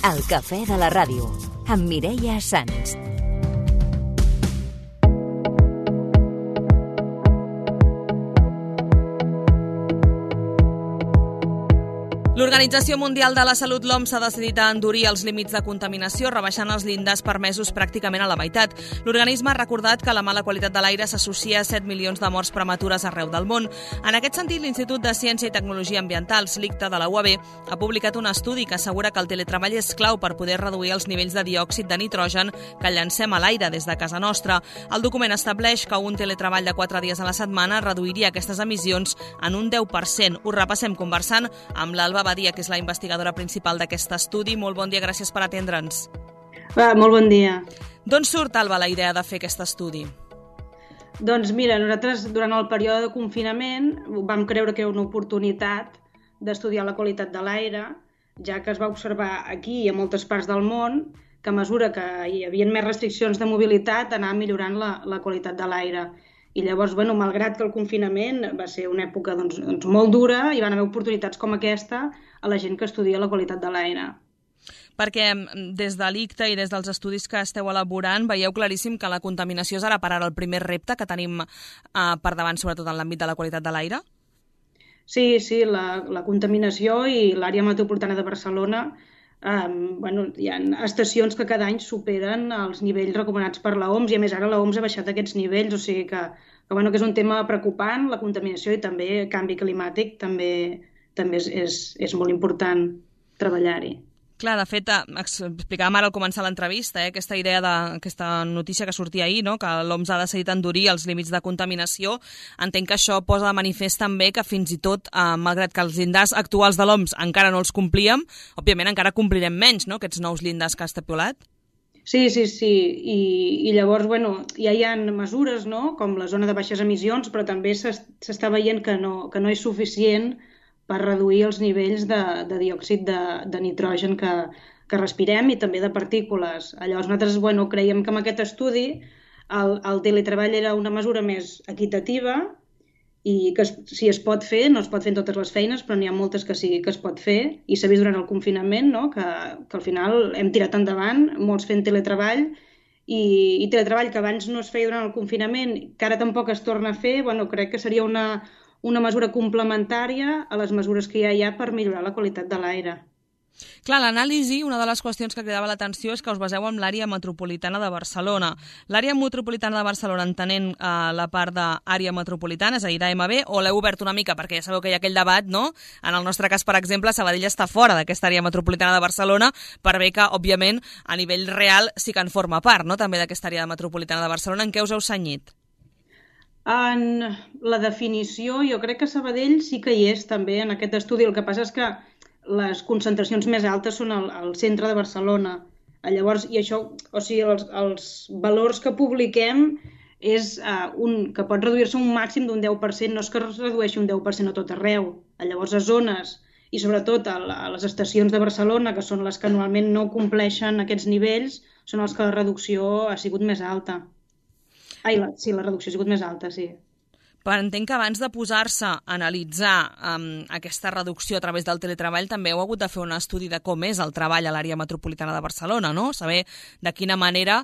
El cafè de la ràdio, amb Mireia Sans. L'Organització Mundial de la Salut, l'OMS, ha decidit endurir els límits de contaminació, rebaixant els llindars permesos pràcticament a la meitat. L'organisme ha recordat que la mala qualitat de l'aire s'associa a 7 milions de morts prematures arreu del món. En aquest sentit, l'Institut de Ciència i Tecnologia Ambientals, l'ICTA, de la UAB, ha publicat un estudi que assegura que el teletreball és clau per poder reduir els nivells de diòxid de nitrogen que llancem a l'aire des de casa nostra. El document estableix que un teletreball de 4 dies a la setmana reduiria aquestes emissions en un 10%. Ho repassem conversant amb l'Alba Badia, que és la investigadora principal d'aquest estudi. Molt bon dia, gràcies per atendre'ns. Molt bon dia. D'on surt, Alba, la idea de fer aquest estudi? Doncs mira, nosaltres durant el període de confinament vam creure que era una oportunitat d'estudiar la qualitat de l'aire, ja que es va observar aquí i a moltes parts del món que a mesura que hi havia més restriccions de mobilitat anava millorant la qualitat de l'aire. I llavors, malgrat que el confinament va ser una època molt dura, hi van haver oportunitats com aquesta a la gent que estudia la qualitat de l'aire. Perquè des de l'ICTA i des dels estudis que esteu elaborant veieu claríssim que la contaminació és ara per ara el primer repte que tenim per davant, sobretot en l'àmbit de la qualitat de l'aire? Sí, la contaminació i l'àrea metropolitana de Barcelona, hi ha estacions que cada any superen els nivells recomanats per l'OMS i a més ara l'OMS ha baixat aquests nivells, o sigui que és un tema preocupant, la contaminació i també el canvi climàtic també és molt important treballar-hi. Clar, de fet, explicàvem ara al començar l'entrevista, aquesta idea d'aquesta notícia que sortia ahir, no? Que l'OMS ha decidit endurir els límits de contaminació. Entenc que això posa de manifest també que fins i tot, malgrat que els llindars actuals de l'OMS encara no els complíem, òbviament encara complirem menys, no?, aquests nous llindars que ha estipulat. Sí. I llavors, ja hi ha mesures, no?, com la zona de baixes emissions, però també s'està veient que no és suficient per reduir els nivells de diòxid de nitrogen que respirem i també de partícules. Llavors nosaltres creiem que amb aquest estudi el teletreball era una mesura més equitativa i que si es pot fer, no es pot fer en totes les feines, però n'hi ha moltes que sí que es pot fer i s'ha vist durant el confinament, no?, que al final hem tirat endavant, molts fent teletreball i teletreball que abans no es feia durant el confinament, que ara tampoc es torna a fer, crec que seria una mesura complementària a les mesures que ja hi ha per millorar la qualitat de l'aire. Clar, l'anàlisi, una de les qüestions que cridava l'atenció és que us baseu en l'àrea metropolitana de Barcelona. L'àrea metropolitana de Barcelona, entenent la part d'àrea metropolitana, és a dir, d'AMB, o l'heu obert una mica, perquè ja sabeu que hi ha aquell debat, no? En el nostre cas, per exemple, Sabadell està fora d'aquesta àrea metropolitana de Barcelona, per bé que, òbviament, a nivell real sí que en forma part, no?, també d'aquesta àrea metropolitana de Barcelona. En què us heu cenyit? En la definició, jo crec que Sabadell sí que hi és també en aquest estudi. El que passa és que les concentracions més altes són al centre de Barcelona. Llavors, i això, o sigui, els valors que publiquem és que pot reduir-se un màxim d'un 10%, no és que es redueixi un 10% a tot arreu. Llavors, a zones, i sobretot a les estacions de Barcelona, que són les que normalment no compleixen aquests nivells, són els que la reducció ha sigut més alta. La reducció ha sigut més alta, sí. Però entenc que abans de posar-se a analitzar aquesta reducció a través del teletreball també heu hagut de fer un estudi de com és el treball a l'àrea metropolitana de Barcelona, no? Saber de quina manera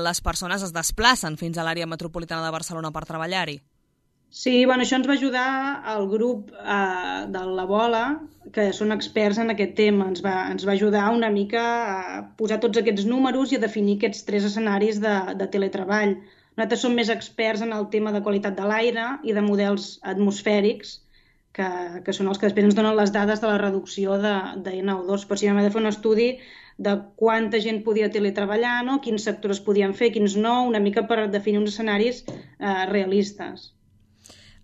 les persones es desplacen fins a l'àrea metropolitana de Barcelona per treballar-hi. Sí, això ens va ajudar el grup de la Bola, que són experts en aquest tema. Ens va ajudar una mica a posar tots aquests números i a definir aquests 3 escenaris de teletreball. Nosaltres som més experts en el tema de qualitat de l'aire i de models atmosfèrics, que són els que després ens donen les dades de la reducció de NO2. Per si vam haver de fer un estudi de quanta gent podia teletreballar, no?, quins sectors podien fer, quins no, una mica per definir uns escenaris realistes.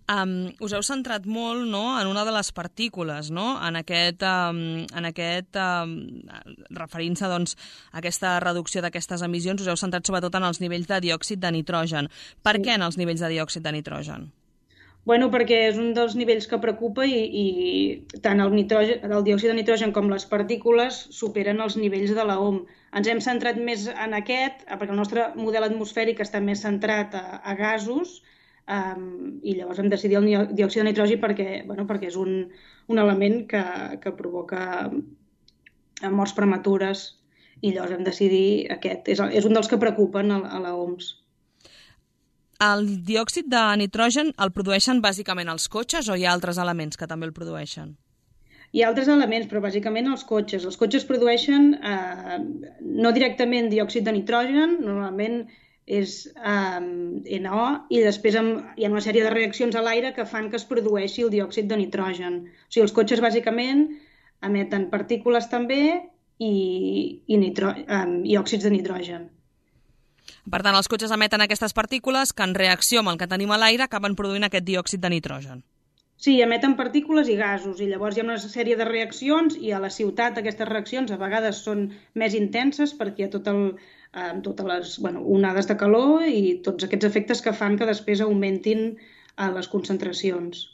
Us heu centrat molt, no?, en una de les partícules, no?, en aquest referint-se, doncs, a aquesta reducció d'aquestes emissions, us heu centrat sobretot en els nivells de diòxid de nitrogen. Per què en els nivells de diòxid de nitrogen? Perquè és un dels nivells que preocupa i tant el diòxid de nitrogen com les partícules superen els nivells de la OMS. Ens hem centrat més en aquest, perquè el nostre model atmosfèric està més centrat a gasos, i llavors hem decidit el diòxid de nitrogen perquè és un element que provoca morts prematures, i llavors vam decidir aquest. És un dels que preocupen a l'OMS. El diòxid de nitrogen el produeixen bàsicament els cotxes o hi ha altres elements que també el produeixen? Hi ha altres elements, però bàsicament els cotxes. Els cotxes produeixen no directament diòxid de nitrogen, normalment és NO, i després hi ha una sèrie de reaccions a l'aire que fan que es produeixi el diòxid de nitrogen. O sigui, els cotxes bàsicament emeten partícules també i òxids de nitrogen. Per tant, els cotxes emeten aquestes partícules que en reacció amb el que tenim a l'aire acaben produint aquest diòxid de nitrogen. Sí, emeten partícules i gasos, i llavors hi ha una sèrie de reaccions, i a la ciutat aquestes reaccions a vegades són més intenses perquè hi ha totes les onades de calor i tots aquests efectes que fan que després augmentin les concentracions.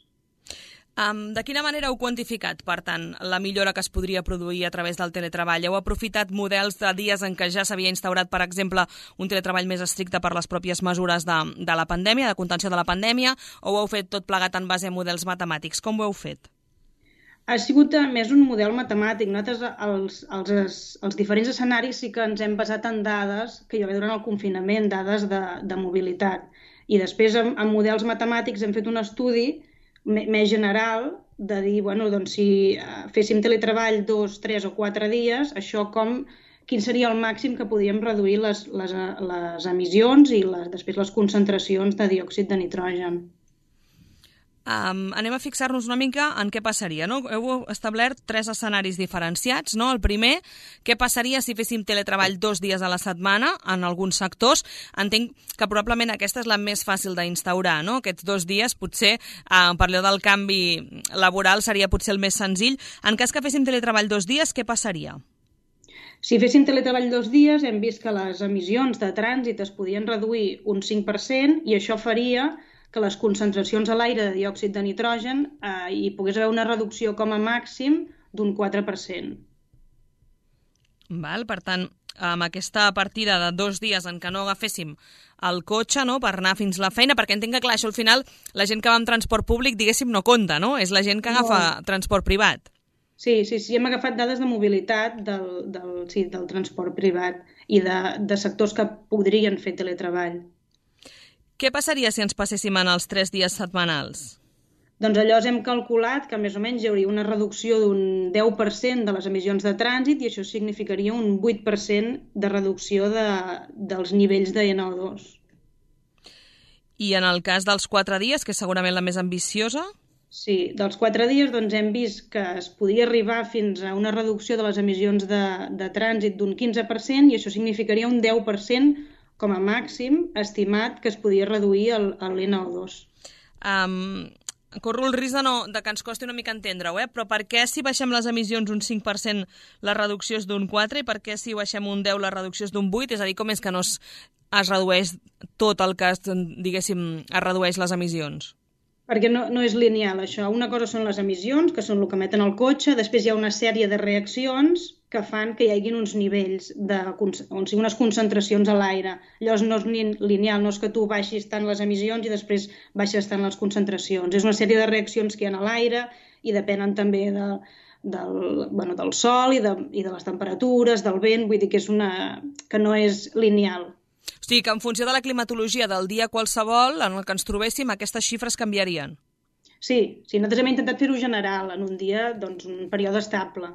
De quina manera heu quantificat, per tant, la millora que es podria produir a través del teletreball? Heu aprofitat models de dies en què ja s'havia instaurat, per exemple, un teletreball més estricte per les pròpies mesures de la pandèmia, de contenció de la pandèmia, o ho heu fet tot plegat en base a models matemàtics? Com ho heu fet? Ha sigut més un model matemàtic. Nosaltres, els diferents escenaris, sí que ens hem basat en dades que hi va haver durant el confinament, dades de mobilitat. I després, amb models matemàtics, hem fet un estudi més general de dir, doncs si féssim teletreball 2, 3 o 4 dies, això quin seria el màxim que podíem reduir les emissions i després les concentracions de diòxid de nitrogen. Anem a fixar-nos una mica en què passaria, no? Heu establert 3 escenaris diferenciats, no? El primer, què passaria si féssim teletreball 2 dies a la setmana en alguns sectors? Entenc que probablement aquesta és la més fàcil d'instaurar, no? Aquests 2 dies potser, per allò del canvi laboral, seria potser el més senzill. En cas que féssim teletreball 2 dies, què passaria? Si féssim teletreball 2 dies, hem vist que les emissions de trànsit es podien reduir un 5% i això faria que les concentracions a l'aire de diòxid de nitrogen hi pogués haver una reducció com a màxim d'un 4%. Per tant, amb aquesta partida de 2 dies en què no agaféssim el cotxe, no, per anar fins a la feina, perquè entenc que, clar, això al final la gent que va amb transport públic, diguéssim, no compta, no? És la gent que agafa transport privat. Sí, hem agafat dades de mobilitat del transport privat i de sectors que podrien fer teletreball. Què passaria si ens passéssim en els 3 dies setmanals? Doncs allò hem calculat que més o menys hi hauria una reducció d'un 10% de les emissions de trànsit i això significaria un 8% de reducció dels nivells de NO2. I en el cas dels 4 dies, que és segurament la més ambiciosa? Sí, dels 4 dies doncs, hem vist que es podia arribar fins a una reducció de les emissions de trànsit d'un 15% i això significaria un 10% com a màxim estimat que es podia reduir l'NO2. Corro el risc de que ens costi una mica entendre-ho, però per què si baixem les emissions un 5% la reducció és d'un 4 i per què si baixem un 10 la reducció és d'un 8? És a dir, com és que no es redueix tot el que, diguéssim, es redueix les emissions? Perquè no és lineal, això. Una cosa són les emissions, que són el que emeten el cotxe, després hi ha una sèrie de reaccions que fan que hi hagi uns nivells, unes concentracions a l'aire. Llavors no és lineal, no és que tu baixis tant les emissions i després baixes tant les concentracions. És una sèrie de reaccions que hi ha a l'aire i depenen també del sol i de les temperatures, del vent, vull dir que no és lineal. O sigui que en funció de la climatologia del dia qualsevol en el que ens trobéssim, aquestes xifres canviarien. Sí, nosaltres hem intentat fer-ho general, en un dia, doncs, un període estable.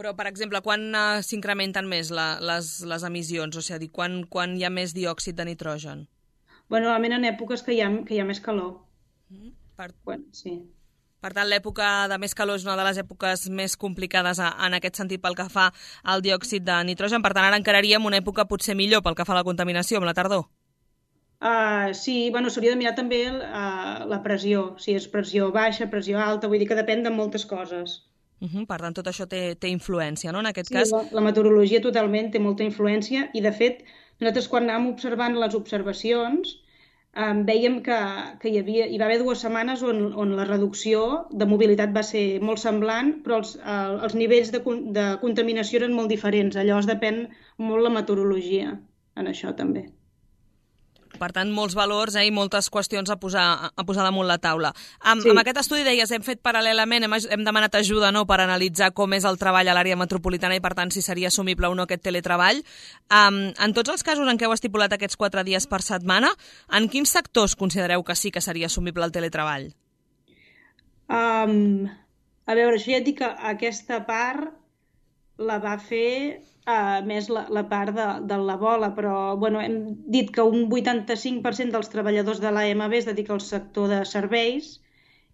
Però, per exemple, quan s'incrementen més les emissions? O sigui, quan hi ha més diòxid de nitrogen? Normalment en èpoques que hi ha més calor. Sí. Per tant, l'època de més calor és una de les èpoques més complicades en aquest sentit pel que fa al diòxid de nitrogen. Per tant, ara encararíem una època potser millor pel que fa a la contaminació, amb la tardor. Sí, s'hauria de mirar també la pressió, si és pressió baixa, pressió alta, vull dir que depèn de moltes coses. Per tant, tot això té influència, no? En aquest cas... Sí, la meteorologia totalment té molta influència i, de fet, nosaltres quan anàvem observant les observacions veiem que hi va haver 2 setmanes on la reducció de mobilitat va ser molt semblant, però els nivells de contaminació eren molt diferents. Llavors depèn molt la meteorologia en això també. Per tant, molts valors i moltes qüestions a posar damunt la taula. Amb aquest estudi, deies, hem fet paral·lelament, hem demanat ajuda per analitzar com és el treball a l'àrea metropolitana i, per tant, si seria assumible o no aquest teletreball. En tots els casos en què heu estipulat aquests 4 dies per setmana, en quins sectors considereu que sí que seria assumible el teletreball? A veure, això ja et dic que aquesta part la va fer més la part de la bola, però hem dit que un 85% dels treballadors de l'AMB es dedica al sector de serveis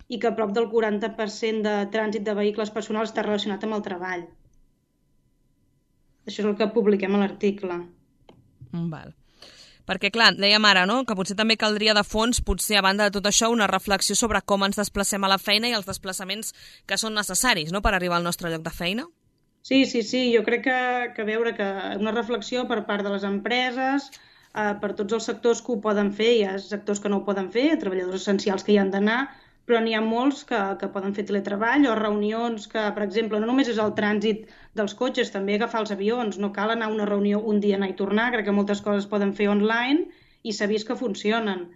i que prop del 40% de trànsit de vehicles personals està relacionat amb el treball. Això és el que publiquem a l'article. Val. Perquè, clar, dèiem ara, que potser també caldria de fons, potser, a banda de tot això, una reflexió sobre com ens desplacem a la feina i els desplaçaments que són necessaris per arribar al nostre lloc de feina. Sí, jo crec que veure que una reflexió per part de les empreses, per tots els sectors que ho poden fer, hi ha sectors que no ho poden fer, treballadors essencials que hi han d'anar, però n'hi ha molts que poden fer teletreball o reunions que, per exemple, no només és el trànsit dels cotxes, també agafar els avions, no cal anar a una reunió un dia anar i tornar, crec que moltes coses poden fer online i s'ha vist que funcionen.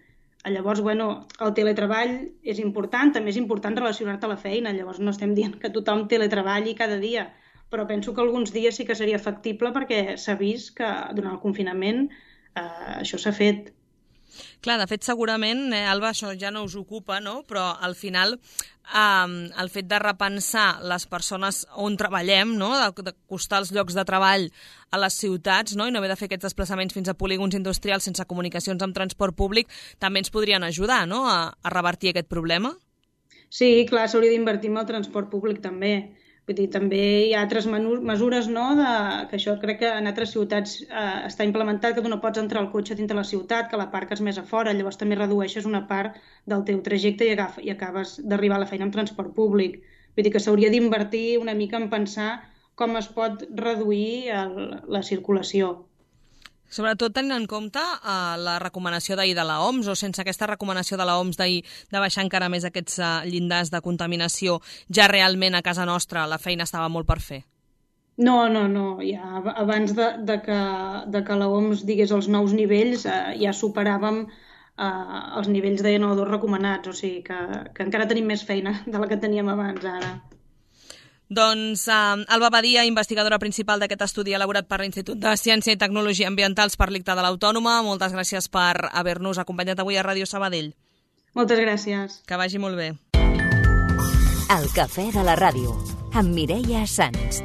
Llavors, el teletreball és important, també és important relacionar-te a la feina, llavors no estem dient que tothom teletreballi cada dia, però penso que alguns dies sí que seria factible perquè s'ha vist que durant el confinament això s'ha fet. Clar, de fet, segurament, Alba, això ja no us ocupa, però al final el fet de repensar les persones on treballem, d'acostar els llocs de treball a les ciutats i no haver de fer aquests desplaçaments fins a polígons industrials sense comunicacions amb transport públic, també ens podrien ajudar a revertir aquest problema? Sí, clar, s'hauria d'invertir en el transport públic també. Vull dir, també hi ha altres mesures, que això crec que en altres ciutats està implementat, que tu no pots entrar al cotxe dintre la ciutat, que l'aparques més a fora, llavors també redueixes una part del teu trajecte i acabes d'arribar a la feina amb transport públic. Vull dir que s'hauria d'invertir una mica en pensar com es pot reduir la circulació. Sobretot tenint en compte la recomanació d'ahir de l'OMS, o sense aquesta recomanació de l'OMS d'ahir de baixar encara més aquests llindars de contaminació, ja realment a casa nostra la feina estava molt per fer? No. Ja abans de que l'OMS digués els nous nivells, ja superàvem els nivells de NO2 recomanats, o sigui que encara tenim més feina de la que teníem abans ara. Doncs Alba Badia, investigadora principal d'aquest estudi elaborat per l'Institut de Ciència i Tecnologia Ambientals per l'ICTA de l'Autònoma, moltes gràcies per haver-nos acompanyat avui a Ràdio Sabadell. Moltes gràcies. Que vagi molt bé. El cafè de la ràdio, amb Mireia Sans.